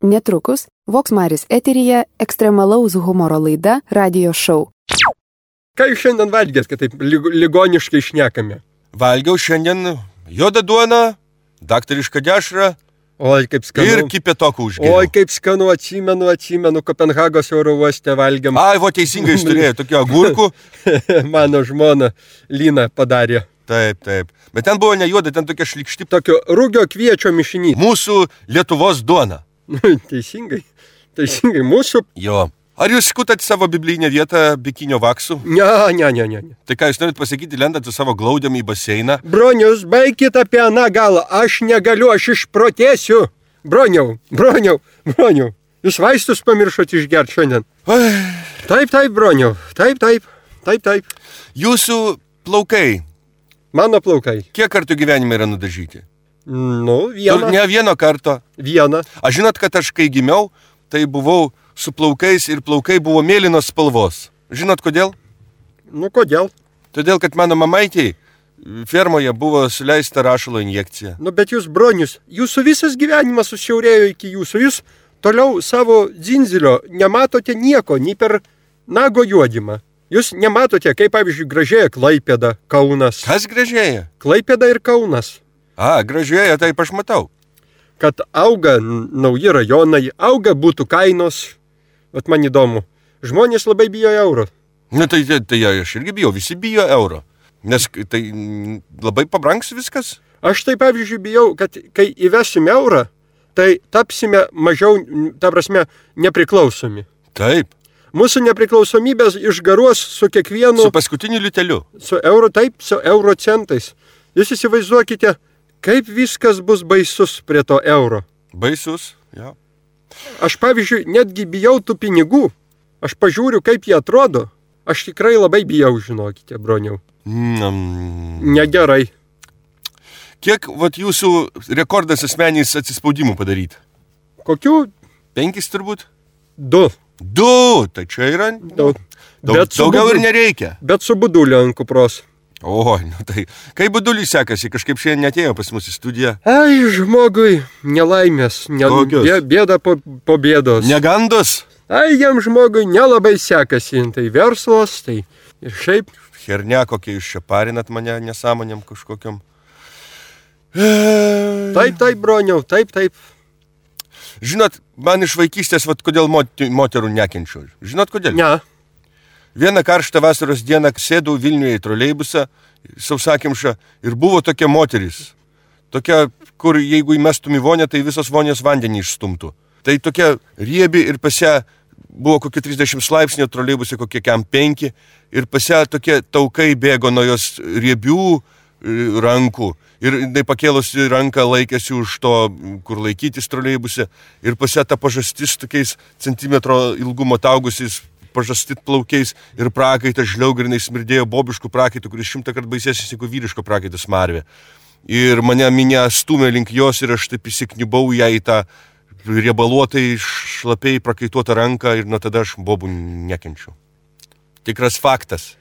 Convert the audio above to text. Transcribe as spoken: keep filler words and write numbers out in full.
Netrukus Vox Maris eteryje ekstremalaus humoro laida Radio Show. Ką jūs šiandien valgėt, kad taip ligoniškai šnekame? Valgiau šiandien juodą duoną, daktarišką dešrą. Oi, kaip skanu. Ir kipetokų užgėriau. Oi, kaip skanu, atsimenu, atsimenu, Kopenhagos oro uoste valgiam. Ai, vo teisingai jis turėjo tokių agurkų. Mano žmona Lina padarė. Taip, taip. Bet ten buvo ne juoda, ten tokia šlikšti. Tokio rūgio kviečio mišinys. Mūsų Lietuvos duona. Teisingai, teisingai, mūsų. Jo. Ar jūs skutat savo biblinę vietą bikinio vaksų? Ne, ne, ne, ne. Tai ką jūs norit pasakyti, lendant su savo glaudėm į baseiną? Bronius, baikit apie aną galą. Aš negaliu, aš išprotėsiu. Broniau, broniau, broniau. Jūs vaistus pamiršot išgerti šiandien. Ai. Taip, taip, broniau. Taip, taip, taip, taip. Jūsų plaukai. Mano plaukai. Kiek kartų gyvenime yra nudažyti? Nu, vieną. Ne vieno karto. Vieną. Aš žinot, kad aš kai gimiau, tai buvau su plaukais ir plaukai buvo mėlynos spalvos. Žinot kodėl? Nu, kodėl? Todėl, kad mano mamaitei fermoje buvo suleista rašalo injekcija. Nu, bet jūs, bronius, jūsų visas gyvenimas susiaurėjo iki jūsų. Jūs toliau savo dzinzilio nematote nieko, nei per nago juodimą. Jūs nematote, kaip, pavyzdžiui, gražėja Klaipėda, Kaunas. Kas gražėja? Klaipėda ir Kaunas. A, gražėja, taip aš matau. Kad auga nauji rajonai, auga būtų kainos. Vat man įdomu. Žmonės labai bijo euro. Na tai, tai, tai aš irgi bijau, visi bijo euro. Nes tai labai pabrangs viskas. Aš tai, pavyzdžiui, bijau, kad kai įvesime eurą, tai tapsime mažiau, ta prasme, nepriklausomi. Taip. Mūsų nepriklausomybės išgaruos su kiekvienu... Su paskutiniu liuteliu. Su euro, taip, su euro centais. Jūs įsivaizduokite, kaip viskas bus baisus prie to euro. Baisus, jo. Aš, pavyzdžiui, netgi bijau tų pinigų. Aš pažiūriu, kaip jie atrodo. Aš tikrai labai bijau, žinokite, broniau. Mm. Negerai. Kiek, vat, jūsų rekordas asmenys atsispaudimų padaryti? Kokių? Penkis turbūt? Du. Du, tai čia yra... Daug. Daug, daugiau budu, ir nereikia. Bet su buduliu ant kupros. O, nu tai, kaip buduliui sekasi, kažkaip šiandien netėjo pas mus į studiją. Ai, žmogui, nelaimės, ne, bė, bėda po, po bėdos. Negandos? Ai, jam žmogui nelabai sekasi, tai verslas, tai ir šiaip. Hernia, kokie jūs čia parinat mane nesąmonėm kažkokiam. Taip, taip, broniau, taip, taip. Žinot, man iš vaikystės, vat, kodėl moterų nekenčiu. Žinot, kodėl? Ne. Vieną karštą vasaros dieną sėdau Vilniuje į troleibusą, sausakimšą, ir buvo tokia moteris. Tokia, kur jeigu įmestum į vonę, tai visos vonės vandenį išstumtų. Tai tokia riebi ir pas ją buvo kokie trisdešimt laipsnių, troleibusė kokie kem penki, ir pas ją tokie taukai bėgo nuo jos riebių rankų. Ir jinai pakėlusi ranką laikėsi už to, kur laikytis troleibusė, ir pas ją ta pažastis tokiais centimetro ilgumo taugusiais pažastit plaukiais ir prakaitas žliaugrinai smirdėjo bobiškų prakaitų, kuris šimtą kart baisesnis negu vyriško prakaito smarvė. Ir mane minė stumė link jos ir aš taip įsiknibau ją į tą riebaluotai šlapiai prakaituotą ranką ir nuo tada aš bobų nekenčiu. Tikras faktas.